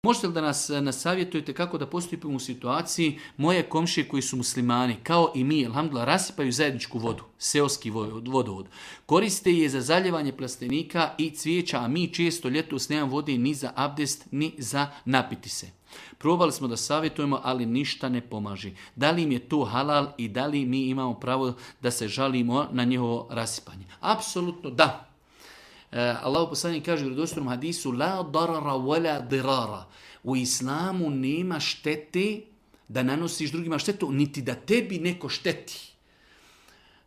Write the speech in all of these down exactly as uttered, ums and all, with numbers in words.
Možete li da nas nasavjetujete kako da postupimo u situaciji moje komšije koji su muslimani, kao i mi, alhamdulillah, rasipaju zajedničku vodu, seoski vodovod. Koriste je za zaljevanje plastenika i cvijeća, a mi često ljetos nemamo vode ni za abdest, ni za napiti se. Probali smo da savjetujemo, ali ništa ne pomaže. Da li im je to halal i da li mi imamo pravo da se žalimo na njihovo rasipanje? Apsolutno da. Allah poslanik kaže u vjerodostojnom hadisu la darara wala dirara. U islamu nema štete da nanosiš drugima štetu, niti da tebi neko šteti.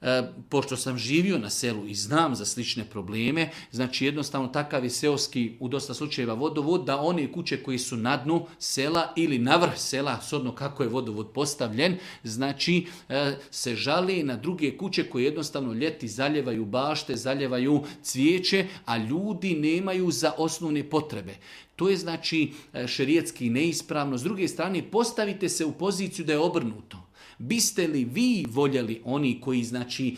E, pošto sam živio na selu i znam za slične probleme, znači jednostavno takav je seoski u dosta slučajeva vodovod, da one kuće koji su na dnu sela ili na vrh sela, shodno kako je vodovod postavljen, znači e, se žali na druge kuće koje jednostavno ljeti zaljevaju bašte, zaljevaju cvijeće, a ljudi nemaju za osnovne potrebe. To je znači šerijetski neispravno. S druge strane, postavite se u poziciju da je obrnuto. Biste li vi voljeli oni koji znači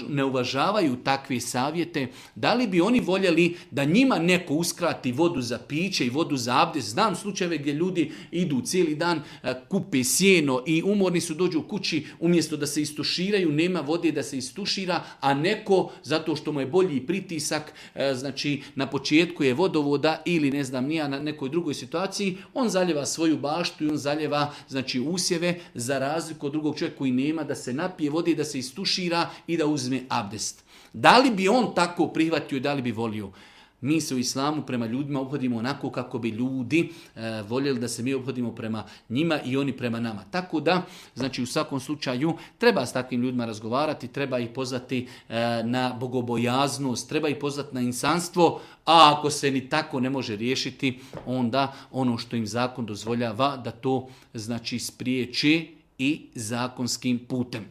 ne uvažavaju takve savjete, da li bi oni voljeli da njima neko uskrati vodu za piće i vodu za abdest? Znam slučajeve gdje ljudi idu cijeli dan, kupe sjeno i umorni su, dođu u kući, umjesto da se istuširaju, nema vode da se istušira, a neko, zato što mu je bolji pritisak, znači na početku je vodovoda ili ne znam nija na nekoj drugoj situaciji, on zaljeva svoju baštu i on zaljeva znači usjeve, za razliku od drugog čovjeka koji nema, da se napije vode, da se istušira i da uzme abdest. Da li bi on tako prihvatio i da li bi volio? Mi se u islamu prema ljudima obhodimo onako kako bi ljudi e, voljeli da se mi obhodimo prema njima i oni prema nama. Tako da, znači u svakom slučaju, treba s takvim ljudima razgovarati, treba ih pozvati e, na bogobojaznost, treba ih pozvati na insanstvo, a ako se ni tako ne može riješiti, onda ono što im zakon dozvoljava da to znači spriječi i zakonskim putem.